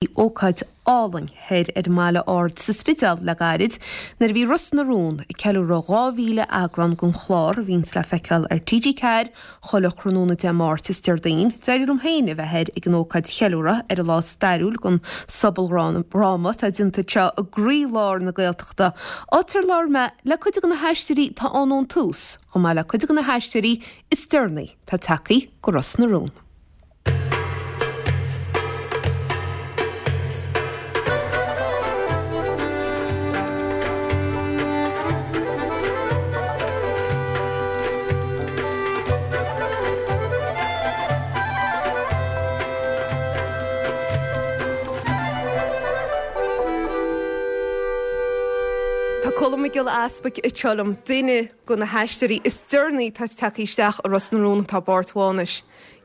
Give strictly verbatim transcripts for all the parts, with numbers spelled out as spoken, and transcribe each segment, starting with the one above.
Ócáid álainn thoir ar an mBaile Ard sa Spidéal le gairid nuair a bhí Ros na Rún ag ceiliúradh dhá mhíle eagrán den chlár a bhíonns le feiceáil ar T G ceathair chuile thráthnóna Dé Máirt is Déardaoin. D'éirigh liom féin a bheith thoir ag an ócáid cheiliúradh ar an lá stairiúil den sobaldhráma atá déanta anseo i gcroílár na Gaeltachta, áit ar labhair mé le cuid de na haisteoirí atá ann ón tús, chomh maith le cuid de na haisteoirí is deireanaí atá tagtha go Ros na Rún. Tá Colm Mac Giolla Easbuig anseo liom, duine de na haisteoirí is deireanaí atá tagtha isteach i Ros na Rún atá i bpáirt Mhánais.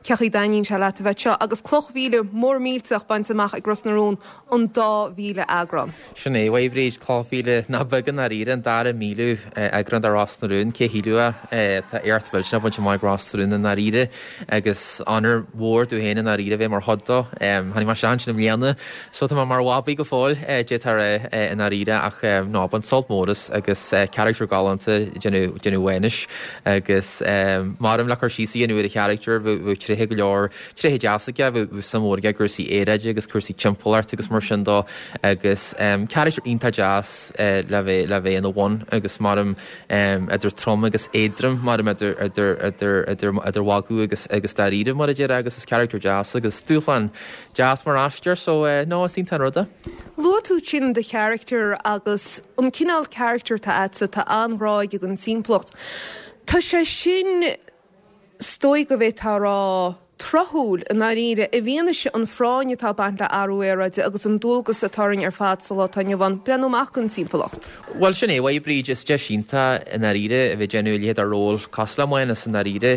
Cén chaoi a dtaitníonn sé leat a bheith anseo agus cloch mhíle mór millteach bainte amach ag Ros na Rún, an dá mhíle eagrán. Sin é, a Bhríd, cloch mhíle nach beag i ndáiríre, an dara míliú eagrán de Ros na Rún, cé shílfeadh é, tá éacht mhillteanach bainte amach ag Ros na Rún i ndáiríre agus onóir mhór domh féin i ndáiríre a bheith mar chuid dó. Tháinig mé isteach ansin i mbliana so tá mé mar bhabaí go fóill, d'fhéadfá a rá i ndáiríre ach no, bain sult mór as agus carachtar galánta ag déanamh déanamh Mhánais agus maram le cur síos a dhéanamh ar a charachtar, bheadh tréithe go leor, tréithe deasa aige, bheadh suim mhór aige i gcúrsaí aeráide agus cúrsaí timpeallachta agus mar sin dó agus carachtar iontach deas le bheith le bheith ina bhun agus maram idir trom agus éadrom, maram idir idir idir idir idir mhagadh agus agus dáiríre mar a déarfá agus is carachtar deas agus dúshlán deas mar aisteoir so no is iontach an rud é. Luaigh tú ansin do charachtar agus an cineál carachtar atá agatsa, tá an-ghrá aige don timpeallacht. Tá sé sin, is dóigh go bhféadfá a rá, tráthúil i ndáiríre, i bhfianaise an phráinn atá ag baint le athrú aeráide agus an dualgas atá orainn ar fad sa lá atá inniu ann breathnú amach don timpeallacht. Bhuel, sin é, a Bhríd, is deis iontach i ndáiríre a bheith ag déanamh a leithéid de ról cosúil le Mánas i ndáiríre,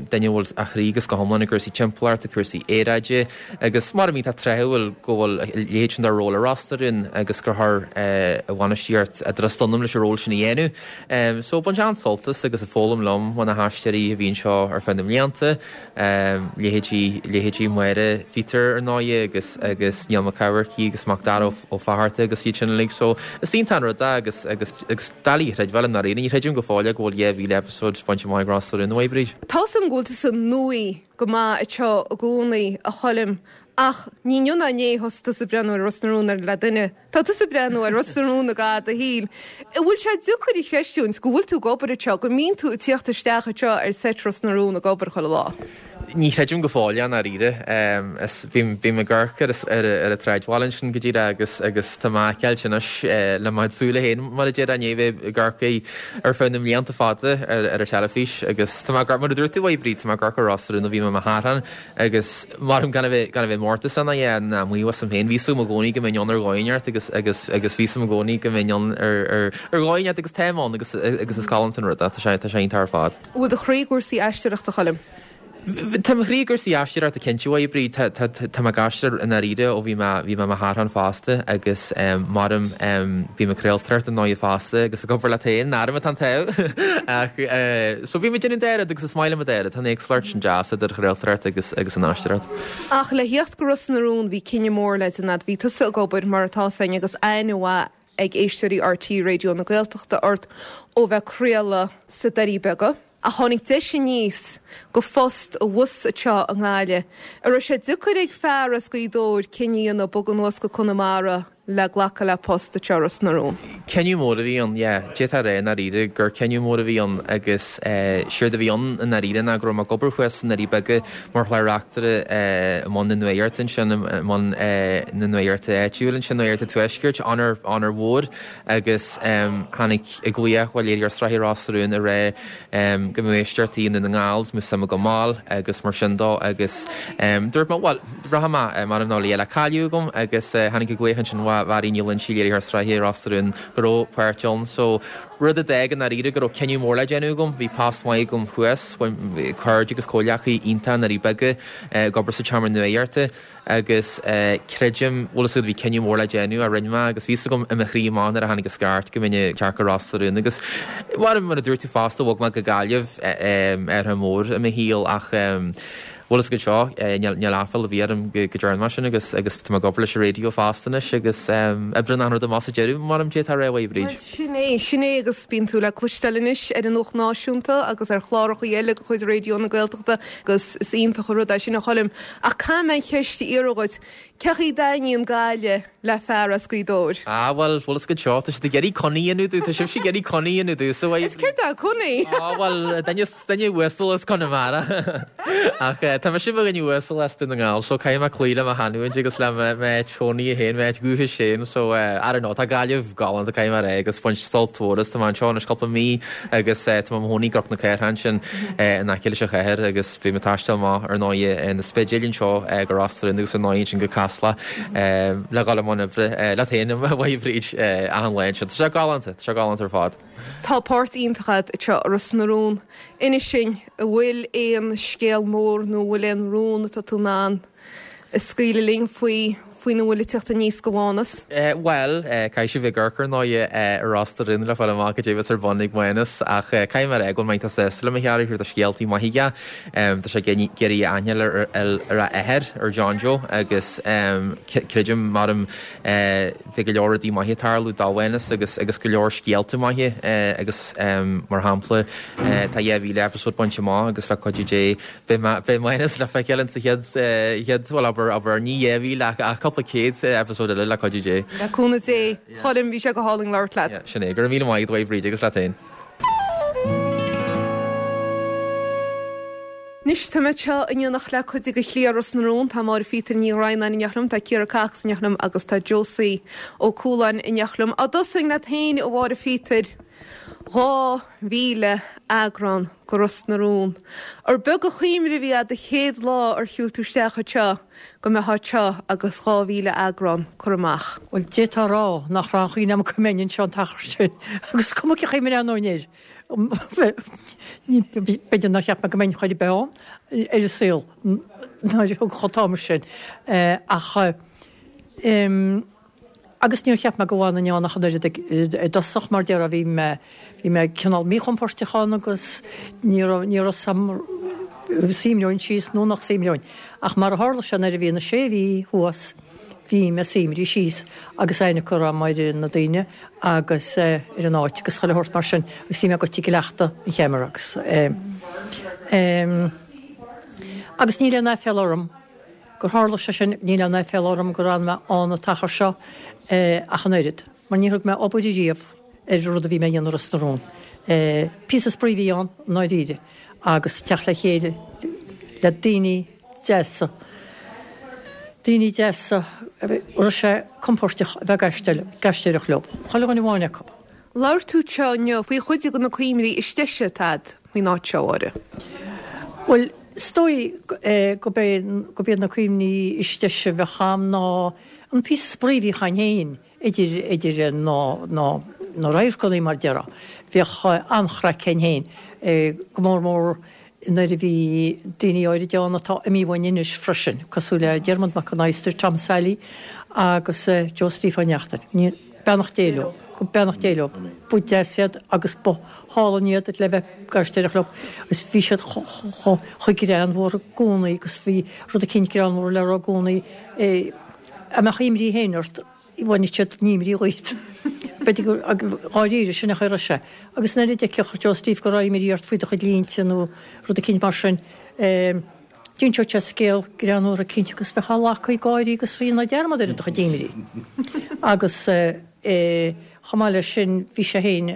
duine a bhfuil a chroí agus go hiomlán i gcúrsaí timpeallachta, cúrsaí aeráide agus mar a iontach tráthúil go bhfuil a leithéid sin de ról i Ros na Rún agus gur chuir an bhainistíocht a dtrust ionam leis an ról sin a dhéanamh. So, bain an-sult as agus ag foghlaim liom ó na haisteoirí a bhí anseo ar feadh na mblianta, leithéidí, leithéidí Máire Pheter ar ndóighe agus, agus Niall Mac Eamharcaigh agus Macdara Ó Fatharta agus iad sin uilig. So, is iontach an rud é agus, agus, agus doiligh a chreidbheáil i ndáiríre. Ní chreidim go fóill é go bhfuil dhá mhíle episode bainte amach ag Ros na Rún, a Bhríd. Tá 'fhios a'm go bhfuil tusa nuaí go maith anseo i gcónaí, a Choilm, ach ní inniu ná inné a thosaigh tusa ag breathnú ar Ros na Rún le duine. Tá tusa ag breathnú ar Ros na Rún i gcaitheamh do shaoil. An bhfuil sé deacair a chreistiúint go bhfuil tú ag obair anseo, go mbíonn tú ag tíocht isteach anseo ar seit Ros na Rún ag obair chuile lá? Ní chreidim go fóill é i ndáiríre. Is bím bím ag amharc ar ar ar an tsráidbhaile ansin go díreach agus agus tá mé á fheiceáilt anois le mo chuid súile féin mar a déarfá i ndiaidh bheith ag amharc air ar feadh na mblianta fada ar ar an teilifís agus tá mé ag amharc mar a dúirt tú a Bhríd, tá mé ag amharc ar Ros na Rún ó bhí mé i mo sheartán agus maram gan a bheith gan a bheith mórtasach ná é ná maíomh asam féin. Bhí 'fhios agam i gcónaí go mbeinn ann ar dhóigh inteacht agus agus agus bhí 'fhios agam i gcónaí go mbeinn ann ar ar ar dhóigh inteacht agus táim ann agus agus is galánta an rud é. Tá sé tá sé iontach ar fad. An bhfuil do chroí i gcúrsaí aisteoireachta, a Choilm? Tá mo chroí i gcúrsaí aisteoireachta cinnte, a Bhríd. Tá tá tá mé ag aisteoireacht i ndáiríre ó bhí mé bhí mé i mo shearthán fosta agus maram bím ag craoltóireacht ar ndóighe fosta agus ag obair leat féin, orm atá an t-ádh. Ach so bím ag déanamh an dá rud agus is maith liom an dá rud. Tá an éagsúlacht sin deas idir chraoltóireacht agus agus an aisteoireacht. Ach le theacht go Ros na Rún bhí cinneadh mór le déanamh. Bhí tusa ag obair mar atá 'fhios a'inn agus aithne mhaith ag éisteoirí R T É Raidió na Gaeltachta ort ó bheith ag craoladh sna Doirí Beaga. Ach tháinig deis aníos go phost abhus anseo i nGaillimh. An raibh sé deacair ag fear as Gaoth Dobhair cinneadh a dhéanamh bogadh anuas go Conamara le glacadh le post anseo i Ros na Rún? Cinneadh mór a bhí ann, yeah. D'fhéadfá a rá i ndáiríre gur cinneadh mór a bhí ann agus séard a bhí ann i ndáiríre ná go raibh mé ag obair thuas sna Doirí Beaga mar chlár-reachtaire i mbun na nuaíochta ansin, i mbun na nuaíochta áitiúil ansin, Nuacht an Tuaiscirt, onóir, onóir mhór agus tháinig glaoch ó léiritheoir sraithe Ros na Rún ag rá go mbeadh éisteachtaí i nDún na nGall is go mbeadh suim agam a fháil agus mar sin dó agus dúirt mé bhuel rachaidh mé m'anam ná lia le cailleadh agam agus tháinig an glaoch ansin ó Mhary Ní Loinsigh léiritheoir sraithe Ros na Rún go raibh páirt ann so rud a d'fhág i ndáiríre go raibh cinneadh mór le déanamh agam bhí post maith agam thuas cairde agus comhghleacaithe iontach i nDoirí Beaga ag obair sa tseomra nuaíochta agus creidim, bhfuil fhios agat, bhí cinneadh mór le déanamh a rinne mé agus bhí fhios agam i mo chroí amach nuair a tháinig an scairt go mbeinn ag teacht go Ros na Rún agus mar mar a dúirt tú fosta bhog mé go Gaillimh athrú mór i mo shaol ach Bhuel is go seo níl aiféala ar bith orm go ndearna mé sin agus agus tá mé ag obair leis an raidió fosta anois agus oibreann an rud amach sa deireadh mar a d'fhéadfá a rá, a Bhríd. Sin é, sin é agus bíonn tú le cloisteáil anois ar an Nuacht Náisiúnta agus ar chláracha eile de chuid Raidió na Gaeltachta agus is iontach an rud é sin a Choilm. Ach caithfidh mé an cheist a iarraidh dhuit, Cé chaoi a dtaitníonn Gaillimh le fear as Gaoth Dobhair? Ah bhuel, bhuel is go seo, tá siad ag iarraidh conaí a dhéanamh domh, tá sibhse ag iarraidh conaí a dhéanamh domh, so Is céard é conaí? Ah bhuel, duine, duine uasal as Conamara. Ach eh, tá mise i mo dhuine uasal as Dún na nGall, so caithfidh mé cloí le mo chanúint agus le m'áit chónaí féin, m'áit dhúchais féin, so eh, I don't know, tá Gaillimh galánta caithfidh mé a rá agus baint sult mhór as, tá mé anseo anois cúpla mí agus eh, tá mé i mo chónaí i gCnoc na Cathrach ansin eh, in aice leis an chathair agus bím ag taisteal amach ar ndóigh na Spidéil anseo go Ros na Rún agus ar ndóigh ansin go Casla le dhul i mbun oibre leat féin a Bhríd achan lá anseo. Tá sé galánta, tá sé galánta ar fad. Tá páirt iontach agat anseo i Ros na Rún. Inis dúinn, an bhfuil aon scéal mór nó an bhfuil aon rún atá tú in ann a scaoileadh linn faoi faoina bhfuil ag teacht aníos go Mánas? Bhuel, caithfidh sibh ag amharc ar ndóigh ar Ros na Rún le fáil amach cad é a bheas ar bun ag Mánas ach caithfidh mé a rá go bhfuil mé iontach sásta le mo charachtar, tá scéaltaí maithe aige. Tá sé ag iarraidh aithne a fháil ar a athair, ar John Joe agus creidim, maram, beidh go leor rudaí maithe ag tarlú do Mhánas agus agus go leor scéalta maithe agus mar shampla tá dhá mhíle episode bainte amach agus le cuidiú Dé beidh Mánas le feiceáil insa chéad chéad bhuel abair abair ní dhá mhíle ach ach cúpla céad episode eile le cuidiú Dé. Le cúnamh Dé, Choilm, bhí sé go hálainn labhairt leat. Sin é, go raibh míle maith agat a Bhríd agus leat féin. Anois tá mé anseo in éineacht le cuid de chliar Ros na Rún, tá Máire Phíotair Ní Dhroighneáin in éineacht liom, tá Ciara Cox in éineacht liom agus tá Josie Ó Cualáin in éineacht liom. Á dtosóinn leat féin, a Mháire Phíotair, dhá mhíle eagrán de Ros na Rún. Ar beag an chuimhne a bhí agat an chéad lá ar shiúil tú isteach anseo go mbeifeá anseo agus dhá mhíle eagrán curtha amach? Bhuel, d'fhéadfá a rá nach raibh aon chuimhne agam go mbeinn anseo an t-achar sin agus cuma cén chaoi a mbreathnóinn air. B'fhéidir nár cheap mé go mbeinn chor ar bith ann ar an saol nuair a thug chomh t-am sin. Ach agus níor cheap mé go bhfanfainn ann ach an oiread i dtosach mar déarfá bhí mé bhí mé cineál míchompordach ann agus ní raibh ní raibh 'fhios a'm an suimreoinn síos nó nach suimreoinn. Ach mar a tharla sé nuair a bhí na sé mhí thuas Bhí mé suimrithe síos agus aithne curtha agam ar na daoine agus ar an áit agus chuile shórt mar sin agus bhí mé goite ag cleachtadh an cheamara agus agus níl aon aiféala orm gur tharla sé sin, níl aon aiféala orm gur fhan mé ann an t-achar seo ach an oiread mar níor thug mé obair ariamh ar an rud a bhí mé a dhéanamh i Ros na Rún. Píosa spraoi a bhí ann i ndáiríre agus teacht le chéile le daoine deasa. Daoine deasa a raibh sé compóirteach a bheith ag aisteoireacht leo. Chuile dhuine amháin acu. Labhair tú anseo inniu faoi chuid de na cuimhní is deise atá agat faoin áit seo, a Mháire. Bhuel, is dóigh gurb iad na cuimhní is deise a bheadh agam ná an píosa spraoi a bhíodh againn féin idir idir na na na radharcanna mar déarfá. Bhíodh an-chraic againn féin, go mór mór nuair a bhí daoine áirid ann atá imithe uainn anois freisin, cosúil le Diarmuid Mac an Adhastair, Tom Sailí agus Joe Steve Ó Neachtain. Beannacht Dé leo. Beannacht Dé leo. Ba deas iad agus ba hálainn iad le bheith ag aisteoireacht leo agus bhí siad chomh greannmhar i gcónaí agus bhí rud eicínt greannmhar le rá i gcónaí. A mbeadh imní féin ort bhainfeadh siad an imní dhuit. B'fhéidir gur dháiríre sin a chuireadh sé. Agus nuair a d'fheicfeadh Joe Steve go raibh imní ort faoi do chuid línte nó rud eicínt mar sin, d'inseodh sé scéal greannmhar eicínt agus bheifeá leagtha ag gáirí agus dhéanfá dearmad ar do chuid imní. Agus chomh maith leis sin bhí sé féin,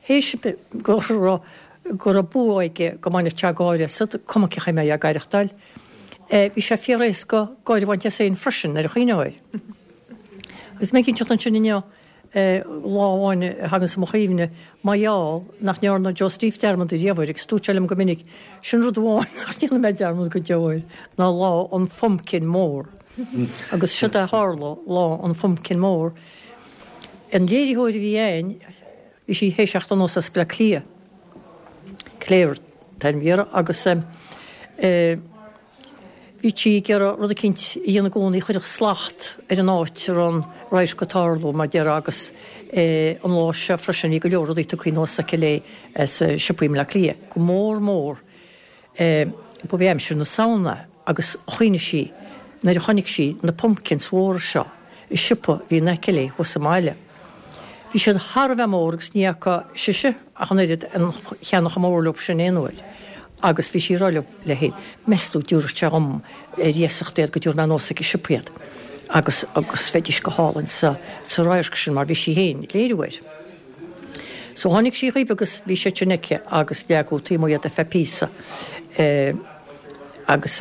théis go raibh go raibh bua aige go mbainfeadh sé gáire asat, cuma cén chaoi a mbeifeá ag aireachtáil. Bhí sé fíor-éasca gáire a bhaint as féin freisin nuair a chuimhneofá air. Agus mé ag inseacht ansin inniu, lá amháin a thaganns i mo chuimhne, mar gheall nach ndearna Joe Steve dearmad ariamh air, agus dúirt sé liom go minic, sin rud amháin nach ndéanfaidh mé dearmad go deo air, ná lá an phumpkin mór. Agus siod é a tharla lá an phumpkin mór. An léiritheoir a bhí a'inn, bhí sí théis theacht anuas as Bleá Cliath, Claire an t-ainm a bhí uirthi, agus eh, Bhí sí ag iarraidh rud eicínt a dhéanamh i gcónaí a chuirfeadh slacht ar an áit a raibh an radharc ag tarlú, mar déarfá, agus an lá seo freisin bhí go leor rudaí tugtha anuas aici léi as siopaí i mBleá Cliath, go mór mór Ba bhí aimsir na Samhna agus chuimhnigh sí nuair a chonaic sí na pumpkins mhóra seo i siopa a bhí in aice léi thuas sa mbaile. Bhí siad thar a bheith mór agus ní fhaca sise ach an oiread aon cheann chomh mór leo sin aon uair. Agus bhí sí ag rá léi féin, meas tú dtabharfadh sé dhom ar iasacht iad go dtabharfaidh mé anuas ag an siopa iad. Agus agus bheidís go hálainn sa sa radharc sin mar bhí sí féin ag léiriú air. So tháinig sí chuici agus bhí siad sin aici agus leagadh taobh amuigh iad ar feadh píosa. Agus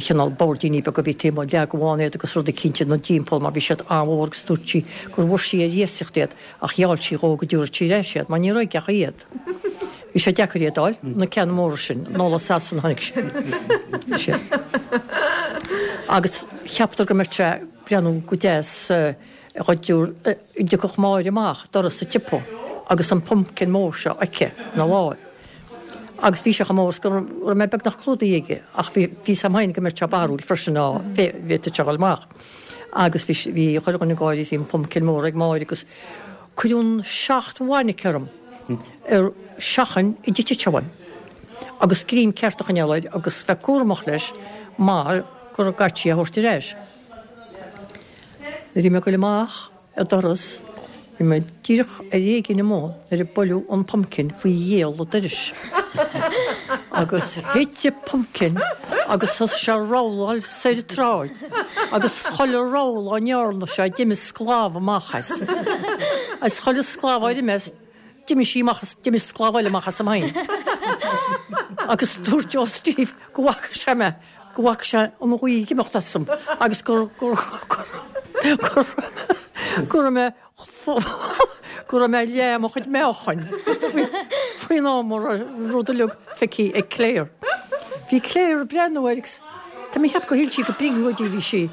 cineál boirdíní beaga a bhí taobh amuigh, leagadh ann iad agus rud eicínt ina dtimpeall mar bhí siad an-mhór agus dúirt sí gur bhfuair sí ar iasacht iad ach gheall sí dhó go dtabharfadh sí ar ais iad mar ní raibh aici ach iad. Bhí sé deacair iad a fháil, na ceanna móra sin, anall as Sasana a tháinig siad. Agus cheapadar go mbeadh sé ag breathnú go deas dá dtiocfadh Máire amach doras an tsiopa agus an pumpkin mór seo aici ina láimh. Agus bhí sé chomh mór is go raibh mé beagnach clúdaithe aige ach bhí fhios a'm féin go mbeadh sé barrúil freisin dá bhféadfadh sé a dhul amach. Agus bhí bhí chuile dhuine ag gáirí is bhí an pumpkin mór ag Máire agus cuireadh an seacht bhfainic orm ar seachain a dtitfeadh sé uaim. Agus greim ceart a choinneáil air agus bheith cúramach leis mar go gcaithfí é a thabhairt ar ais. Nuair a bhí mé ag goil amach an doras, bhí mé díreach ar éigin amuigh nuair a buaileadh an pumpkin faoi ghiall an dorais. Agus thit an pumpkin agus thosaigh sé a rolláil soir an tsráid agus chuile roll a ndearna sé d'imigh sclamh amach as. Agus chuile sclamh a d'imigh as, d'imigh sí amach as, d'imigh sclamh eile amach asam féin. Agus dúirt Joe Steve go bhfaca sé mé, go bhfaca sé an ghaoth ag imeacht asam agus gur, gur, gur, gur, go raibh mé, go raibh mé leath mo chuid meáchain faoin am a raibh an rud uilig feicthe ag Claire. Bhí Claire ag breathnú air agus tá mé ag ceapadh gur shíl sí gur brionglóidí a bhí sí.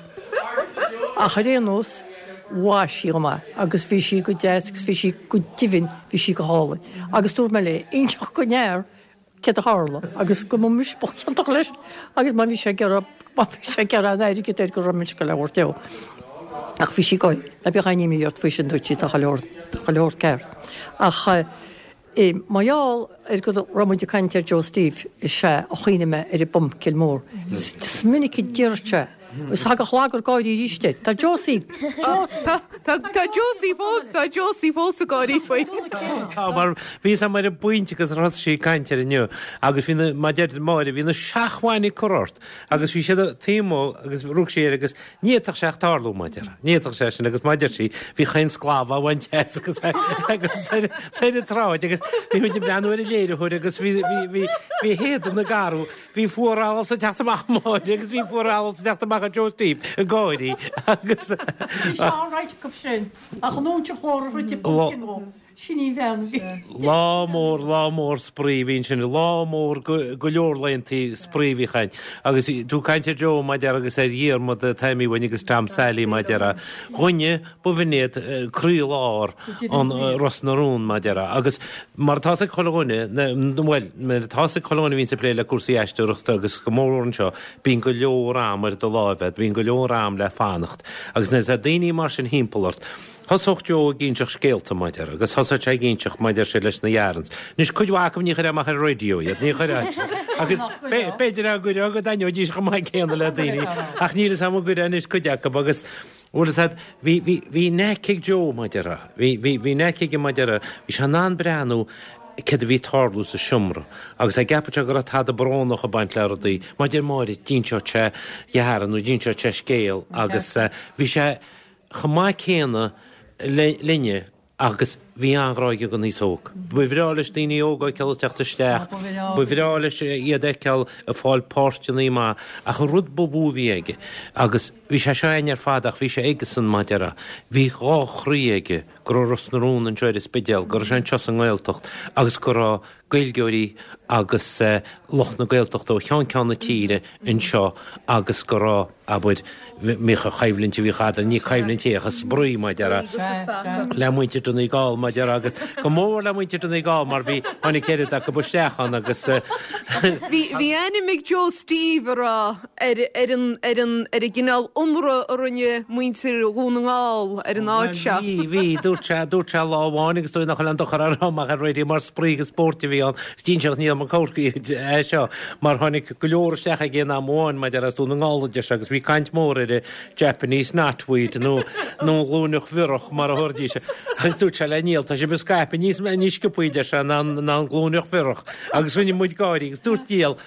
Ach ar aon nós, mhaith sí dhom é agus bhí sí go deas agus bhí sí go deimhin, bhí sí go hálainn. Agus dúirt mé léi, inseacht don fhear céard a tharla agus go mba mise ba chiontach leis agus má bhí sé ag iarraidh, má bhí sé ag iarraidh an airgead air go raibh mise ag goil a thabhairt dó. Ach bhí sí ag gáire. Ná bíodh aon imní ort faoi sin, dúirt sí, tá chuile shórt, tá chuile shórt ceart. Ach mar gheall ar go raibh muid ag caint ar Joe Steve is ea a chuimhnigh mé ar an bpumpkin mór. Is minic a deireadh sé Is thagadh lagar gáirí arís air. Tá Josie! Tá tá Josie fós, tá Josie fós ag gáirí faoi. Tá, mar bhí fhios a'm ar an bpointe agus thosaigh sí ag caint air inniu agus bhí na, mar deir Máire, bhí na seachtmhainní curtha ort agus bhí siad taobh amuigh agus rug sí air agus ní fhéadfadh sé ach tarlú, mar deir, ní fhéadfadh sé sin agus mar deir sí, bhí chaon sclamh á bhaint as agus agus ar ar an tsráid agus bhí muid ag breathnú ar an léiritheoir agus bhí bhí bhí bhí a héadan ag athrú. Bhí fuarallas ag teacht amach ó Mháire agus bhí fuarallas ag teacht amach ó Joe Steve ag gáirí agus. Bhí sé alright acu sin ach an óinseach mhór a throid an pumpkin dhó, sin í an bhean a bhí. Lá mór, lá mór spraoi a bhí ansin, lá mór go leor laethanta spraoi a bhí againn. Agus tú ag caint ar Joe mar a déarfá agus ar Dhiarmaid Taimí uainn agus Tom Sally mar a déarfá. Dhuine ba bh'in iad croílár an Ros na Rún mar a déarfá. Agus mar atá 'fhios ag chuile dhuine, bhuel, mar atá 'fhios ag chuile dhuine a bhíonns ag plé le cúrsaí aisteoireachta agus go mórmhór anseo, bíonn go leor am ar do láimh agat, bíonn go leor am le fanacht. Agus nuair atá daoine mar sin thimpeall ort, thosódh Joe ag inseacht scéalta, mar a déarfá, agus thosódh sé ag inseacht, mar a deir sé, leis na yarns. Anois, cuid mhaith acu ní chuirfeá amach ar an raidió iad, ní chuirfeá. Agus b'fhéidir dá gcuirfeá go dtaitneoidís chomh maith céanna le daoine, ach níl 'fhios a'm an gcuirfeá anois cuid acu agus, Bhuel, is ea, bhí, bhí, bhí knack ag Joe, mar a déarfá. Bhí, bhí, bhí knack aige, mar a déarfá. Bhí sé in ann breathnú céard a bhí ag tarlú sa seomra agus dá gceapfadh sé go raibh tada brónach ag baint le rudaí, mar a deir Máire, d'inseodh sé yarn nó d'inseodh sé scéal agus bhí sé chomh maith céanna linne Agus bhí an-ghrá aige don aos óg. Ba bhreá leis daoine óga a fheiceáil ag teacht isteach, ba bhreá leis iad a fheiceáil ag fáil páirteanna maithe. Ach an rud ba mhó a bhí aige, agus bhí sé seo againn ar fad ach bhí sé aigesan mar a déarfá, bhí dhá chroí aige, go raibh Ros na Rún anseo ar an Spidéal, go raibh sé anseo sa nGaeltacht agus go raibh Gaeilgeoirí agus lucht na Gaeltachta ó cheann ceann na tíre anseo agus go raibh, abair, bhíodh an choimhlint a bhíodh eadrainn, ní coimhlint é ach spraoi, mar a déarfá, le muintir Donegal, mar mar a déarfá agus go mór le muintir Donegal mar bhí tháinig oiread acu isteach ann agus Bhí bhí ainm ag Joe Steve a rá ar ar an ar an ar an gcineál ionradh a rinne muintir Dhún na nGall ar an áit seo. Bhí bhí dúirt sé dúirt sé lá amháin agus dóigh nach bhfuil an dochar a rá amach ar raidió mar spraoi agus spórt a bhí ann. Is dínseach níl mar Corcaigh é seo mar tháinig go leor isteach ag aon am amháin maidir as Dún na nGall a deir sé agus bhí caint mór ar Japanese knotweed nó nó glúineach bhiorach mar a thabharfaidís. Agus dúirt sé le Niall tá sibh ag scaipeadh níos níos sciobthaí deir sé ná ná an glúineach bhiorach agus rinne muid gáirí agus dúirt Niall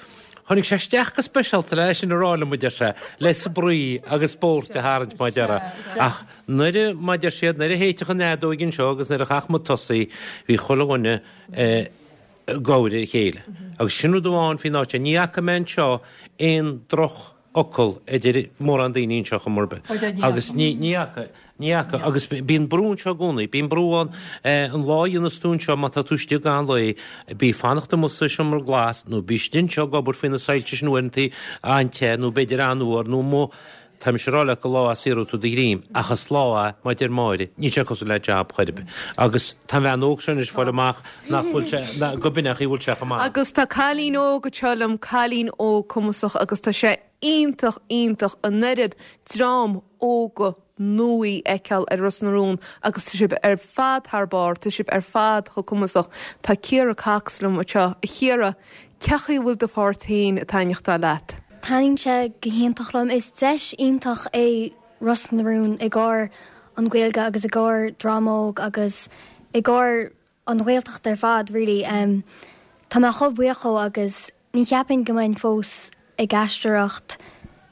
Tháinig sé isteach go speisialta le sin a rá liom deir sé le spraoi agus spórt a tharraingt mar a déarfá. Ach nuair mar a deir siad nuair a théiteach an fheadóg anseo agus nuair a chaith muid tosaí bhí chuile dhuine ag cabhrú a chéile. Agus sin rud amháin faoin áit ní fhaca mé anseo aon drochfhocal idir mórán daoine anseo chor ar bith. Agus ní ní fhaca ní fhaca agus bíonn brú anseo i gcónaí, bíonn brú ann an lá a dhéanas tú anseo má tá tú istigh gan lae, bí fanacht amuigh sa seomra glas nó bí istigh anseo ag obair faoi na soilse sin uaireanta an-te nó b'fhéidir an-fhuar nó amuigh Tá mise ag rá leat gur lá a saothróidh tú do dhroim ach is lá é mar a deir Máire, níl sé cosúil le jab chor ar bith. Agus tá an bhean óg seo anois ag fáil amach nach bhfuil sé go b'in é an chaoi a bhfuil sé chomh maith. Agus tá cailín óg anseo liom, cailín óg cumasach agus tá sé iontach iontach an oiread dream óga nua a fheiceáil ar Ros na Rún agus tá sibh ar fad thar barr, tá sibh ar fad chomh cumasach. Tá Ciara Cox liom anseo. A Chiara, cén chaoi a bhfuil do pháirt féin ag taitneachtáil leat? Taitníonn sé go hiontach liom. Is deis iontach é Ros na Rún i gcomhair an Ghaeilge agus i gcomhair dream óg agus i gcomhair an Ghaeltacht ar fad really. Um, tá mé chomh buíoch agus ní cheapaim go mbeinn fós ag aisteoireacht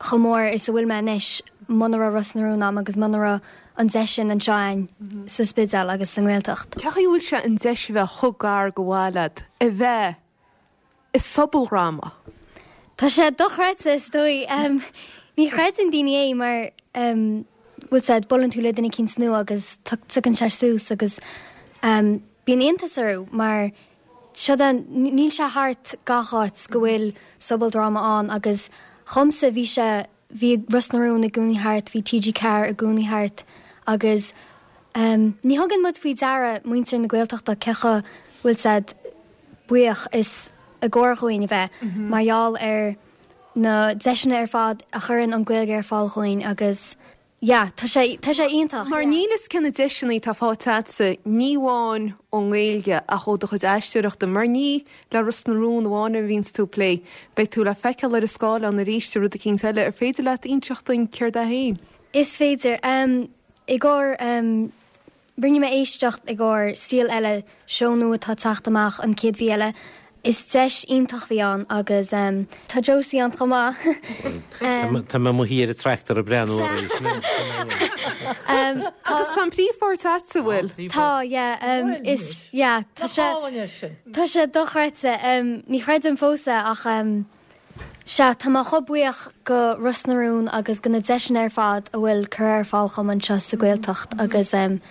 chomh mór is a bhfuil mé anois muna raibh Ros na Rún a'm agus muna raibh an deis sin anseo a'inn sa Spidéal agus sa nGaeltacht. Cén chaoi a bhfuil sé an deis a bheith chomh gar go bhfuil leat a bheith i sobaldráma? Tá sé dochreidte is dóigh. Um, ní chreideann daoine é mar um, bhfuil sé buaileann tú le duine éicint nua agus tugann sé suas agus um, bíonn iontas orthu mar seo níl sé thart gach áit go bhfuil sobaldráma ann agus dhomsa bhí sé bhí Ros na Rún i gcónaí thart, bhí TG Ceathair i gcónaí thart agus um, ní thugann muid faoi deara muintir na Gaeltachta cé chomh bhfuil siad buíoch is i gcóir dúinn a bheith mar gheall ar na deiseanna ar fad a chuireann an Ghaeilge ar fáil dúinn agus yeah, tá sé tá sé iontach. Mar níl a fhios cé na deiseanna atá faighte agatsa ní amháin ón nGaeilge ach ó do chuid aisteoireachta, mar ní le Ros na Rún amháin a bhíonns tú ag plé, beidh tú le feiceáil ar an scáileán arís i rud éicint eile ar féidir leat inseacht dúinn céard é féin. Is féidir um, i gcomhair um, rinne mé éisteacht i gcomhair Saol Ella seó nua atá teacht amach an chéad mhí eile. Is deis iontach bhí ann agus um, tá Josie ann chomh maith. um, Tá mé mo shuí ar an tractor ag breathnú um, Agus tá an príomhpháirt agatsa bhfuil. Tá yeah, um, is yeah, tá sé sin. Tá sé dochreidte um, ní chreidim fós é ach um, sea tá mé chomh buíoch go Ros na Rún agus go na deiseanna ar fad a bhfuil cur ar fáil chum anseo sa Ghaeltacht agus um,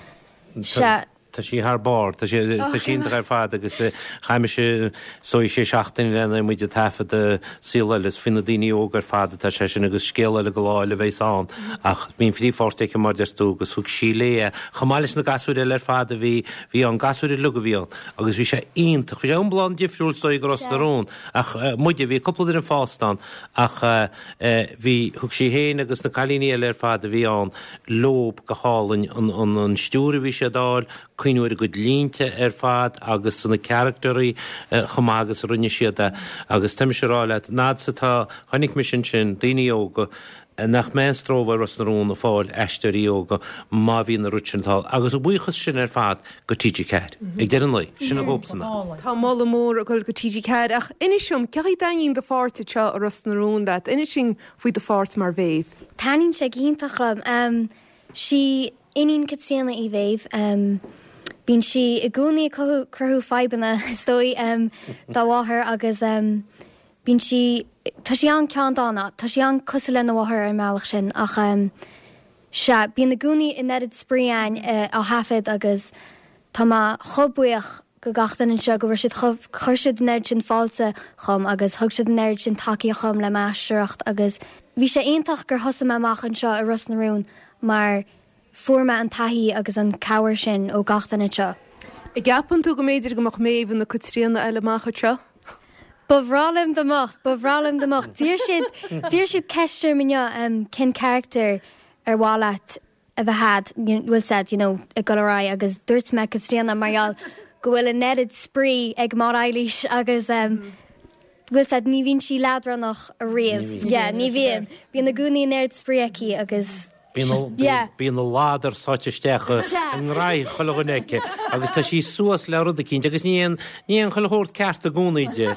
sea Tá sí thar barr, tá sí tá sí iontach ar fad agus chaith mise so sé seachtain lena muid ag taifead Saol Ella faoi na daoine óg ar fad atá sé sin agus scéal eile go lá eile bheidh ann ach bhíonn príomhpháirt aici mar deir tú agus thug sí léi chomh maith leis na gasúir eile ar fad a bhí bhí an gasúir uilig a bhí ann agus bhí sé iontach bhí sé iomlán difriúil so go Ros na Rún ach muide bhí cúpla duine fásta ann ach bhí thug sí féin agus na cailíní eile ar fad a bhí ann leob go hálainn an, an, an stiúir a bhí sé dáil cuiohar a gcuid línte ar fad agus na carachtarí chomh maith agus a rinne siad é agus tá mise ag rá leat nád sa tá chonaic mise sin daoine óga nach mbeidh stró ar Ros na Rún ag fáil aisteoirí óga má bhíonn na rud sin thall agus a buíochas sin ar fad go TG Ceathair. Ag deireadh an lae, sin a dhóbsana. Tá moladh mór ag dul go TG Ceathair ach inis dom cén chaoi a dtaitníonn do pháirt seo i Ros na Rún leat, inis dúinn faoi do pháirt mar Mhéabh. Taitníonn sé go hiontach liom. Um, sí iníon Caitríona í Mhéabh. Um, Bíonn sí i gcónaí ag cruthú fadhbanna is dóigh um, dá mháthair agus um, bíonn sí tá sí an-cheanndána, tá sí an-chosúil lena mháthair ar an mbealach sin ach um, sea bíonn i gcónaí an oiread spraoi a'inn uh, á thaifead agus tá mé chomh buíoch go gach duine anseo go bhfuil siad chuir siad an oiread sin fáilte chugam agus thug siad an oiread sin tacaíocht chugam le m'aisteoireacht agus bhí sé iontach gur thosaigh mé amach anseo i Ros na Rún mar fuair mé an taithí agus an cabhair sin ó gach duine seo. An gceapann tú go mb'fhéidir go mbeadh Méabh ina Caitríona eile amach anseo? Ba bhreá liom dá mbeadh, ba bhreá liom dá mbeadh. D'iarr siad, d'iarr siad ceist orm inniu, um, cén character ar mhaith leat a bheith a'd, bhfuil said, you know, ag dul ar aghaidh agus dúirt mé Caitríona mar gheall go bhfuil an oiread spraoi ag Máire Eilís agus um, bhfuil said ní bhíonn sí leadránach ariamh. Yeah, ní bhíonn. Bíonn i gcónaí an oiread spraoi aici agus Bíonn na ladar sáite isteach i ngraí chuile dhuine aici agus tá sí suas le rud eicínt agus ní aon ní aon chuile shórt ceart i gcónaí di.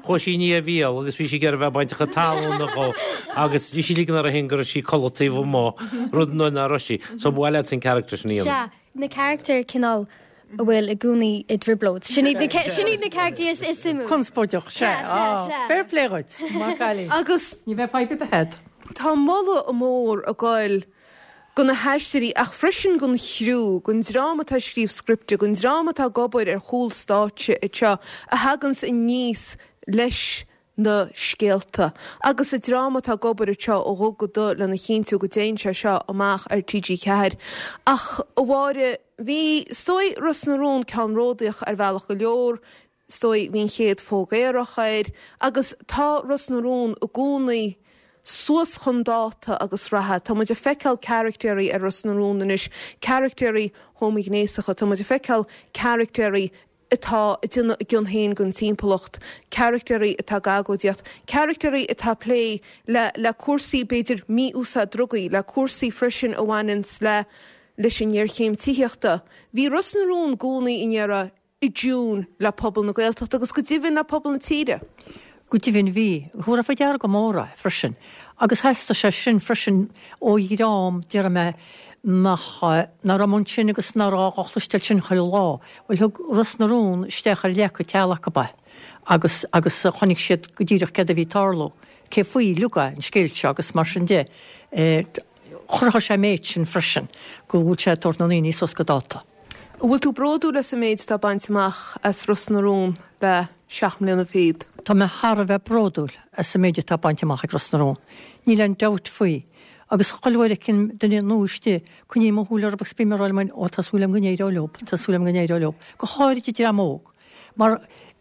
Chuaigh sí i ndiaidh a bhéal agus bhí sí ag iarraidh bheith bainteach an talún dhó agus bhí sí ag ligean uirthi féin go raibh sí ag codladh taobh amuigh, rud nach raibh sí. So ba mhaith leat an character sin a dhéanamh. Sea, na character cineál a bhfuil i gcónaí i dtrioblóid. Sin iad na sin iad na characters is suimiúil. Conspóideach, sea. Sea, sea, sea. Fair play dhuit, maith an cailín. Agus Ní bheidh fadhb ar bith a'd. Tá moladh mór ag goil go na haisteoirí ach freisin gon chriú, gon dream atá ag scríobh scripte, gon dream atá ag obair ar chúl stáitse anseo a thaganns aníos leis na scéalta agus an dream atá ag obair anseo ó dhubh go dubh lena chinntiú go dtéann sé seo amach ar T G ceathair. Ach, a Mháire, bhí, is dóigh, Ros na Rún ceannródaíoch ar bhealach go leor, is dóigh, bhí an chéad phóg aerach air agus tá Ros na Rún i gcónaí suas chun dáta agus reatha. Tá muid ag feiceáil caractéirí ar Ros na Rún anois, caractéirí homaighnéasacha, tá muid ag feiceáil caractéirí atá ag déanamh a gcion féin den timpeallacht, caractéirí atá ag agóidíocht, caractéirí atá ag plé le le cúrsaí b'fhéidir mí-úsáid drugaí, le cúrsaí freisin a bhaineanns le leis an ngéarchéim tithíochta. Bhí Ros na Rún i gcónaí i ndeireadh i dtiún le pobal na Gaeltachta agus go deimhin le pobal na tíre. Go deimhin bhí. Thabharfá faoi deara go mór é freisin. Agus theastaigh sé sin freisin ó dhream, déarfaidh mé, nach nach raibh ansin agus nach raibh á chloisteáil sin chuile lá. Bhuel, thug Ros na Rún isteach ar leac an teaghlach acu é agus agus chonaic siad go díreach céard a bhí ag tarlú, cé faoi uilig é an scéal seo agus mar sin de. Chruthaigh sé an méid sin freisin, go bhfuil sé ag tabhairt na ndaoine suas go dáta. An bhfuil tú bródúil as an méid atá bainte amach as Ros na Rún le seacht mbliana fichead? Tá mé thar a bheith bródúil as an méid atá bainte amach ag Ros na Rún. Níl aon dabht faoi. Agus chuile uair a fheicim duine nua istigh, coinním mo shúil orthu agus bím ag rá liom féin, ó tá súil agam go n-éireoidh leo, tá súil agam go n-éireoidh leo. Go háirid an dream óg. Mar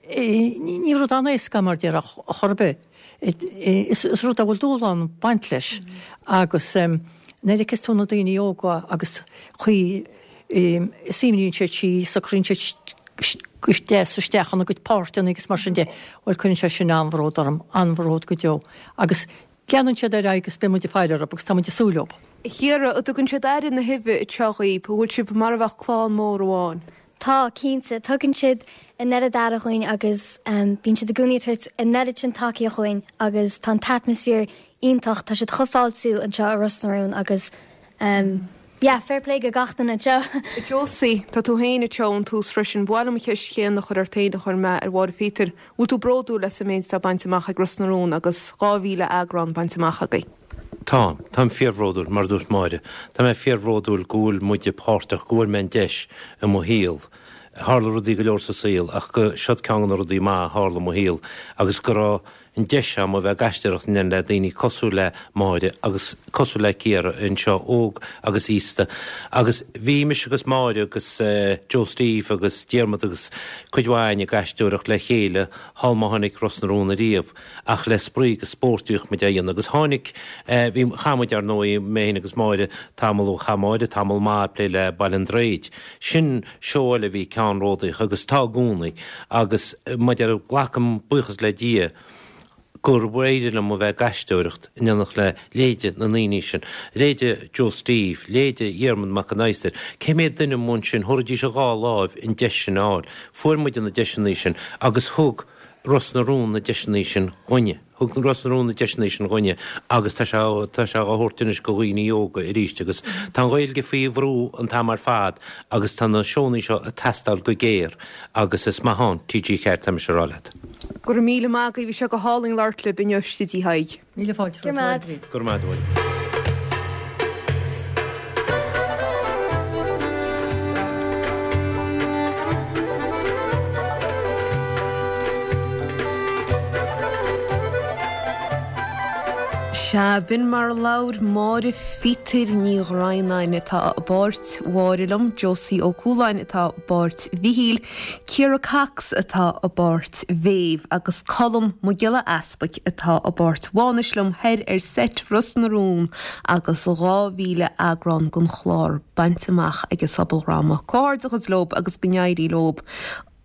ní rud an-éasca é mar déarfá chor ar bith. Is rud a bhfuil dúshlán ag baint leis. Agus nuair a fheiceas tú na daoine óga agus chaoi a suimníonn siad síos, socraíonn siad go deas isteach ina gcuid páirteanna agus mar sin de, bhuel cuireann sé sin an-bhród orm, an-bhród go deo. Agus leanann siad ar aghaidh agus beidh muid ag faire orthu agus tá muid ag súil leo. A Chiara, an dtugann siad aire na huibhe anseo dhaoibh, an bhfuil sibh mar a bheadh clann mór amháin? Tá, cinnte. Tugann siad an oiread aire dhúinn agus bíonn siad i gcónaí ag tabhairt an oiread sin tacaíocht dhúinn agus tá an t-atmaisféar iontach, tá siad chomh fáiltiúil anseo i Ros na Rún agus yeah, fair play go gach duine anseo. A Josie, tá tú féin anseo ón tús freisin. Ba mhaith liom an cheist chéanna a chur ort féin a chuir mé ar Mháire Phíotair. Bhfuil tú bródúil as an méid atá bainte amach ag Ros na Rún agus dhá mhíle eagrán bainte amach agaibh? Táim. Táim fíorbhródúil, mar a dúirt Máire. Tá mé fíorbhródúil go bhfuil muide páirteach, go bhfuair mé an deis i mo shaol. Tharla rudaí go leor sa saol ach go siod ceann de na rudaí maith a tharla i mo shaol agus go raibh an deis agam a bheith ag aisteoireacht in éineacht le daoine cosúil le Máire agus cosúil le Ciara anseo, óg agus aosta. Agus bhí mise agus Máire agus Joe Steve agus Diarmuid agus cuid mhaith againn ag aisteoireacht le chéile shul má tháinig Ros na Rún ariamh ach le spraoi agus spórt a bhíodh muid á dhéanamh agus tháinig, bhí, chaith muid ar ndóigh, mé féin agus Máire tamall, chaith Máire tamall maith ag plé le Baile an Droichid. Sin seó eile a bhí ceannródaíoch agus atá i gcónaí agus maidir, glacaim buíochas le Dia gur éirigh liom a bheith ag aisteoireacht in éineacht le leithéide na ndaoine sin, leithéide Joe Steve, leithéide Dhiarmaid Mac an Adhastair, cé mhéad duine amuigh ansin, thabharfaidís a dhá láimh an deis sin a fháil. Fuair muide na deiseanna sin agus thug Ros na Rún na deiseanna sin dhúinne. Thug Ros na Rún na deiseanna sin dhúinne agus tá sé, tá sé á thabhairt anois go dhaoine óga arís agus tá an Ghaeilge faoi bhrú an t-am ar fad agus tá na seónna seo ag teastáil go géar agus is maith ann T G ceathair, tá mise a rá leat. Go raibh míle maith agaibh, bhí sé go hálainn labhairt libh inniu i stiúideo Thaidhg. Míle fáilte Go raibh maith. Go raibh maith agat. Sea, b'in mar a labhair Máire Phíotair Ní Dhroighneáin atá i bpáirt Mháire liom, Josie Ó Cualáin atá i bpáirt Mhichíl, Ciara Cox atá i bpáirt Mhéabh agus Colm Mac Giolla Easpaig atá i bpáirt Mhánais liom thoir ar seit Ros na Rún agus dhá mhíle eagrán den chlár bainte amach ag an sobaldhráma. Comhghairdeachas leob agus go n-éirí leob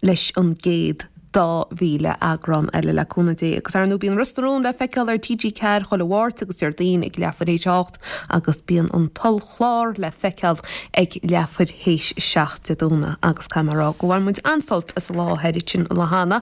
leis an gcéad dá mhíle eagrán eile le cúnamh Dé. Agus ar ndóigh bíonn Ros na Rún le feiceáil ar T G ceathair chuile Mháirt agus Déardaoin ag leathuair théis a hocht agus bíonn an t-ollchlár le feiceáil ag leathuair théis a seacht Dé Domhnaigh agus caithfidh mé a rá go bhain muid an-sult as an lá thoir ansin an lá cheana.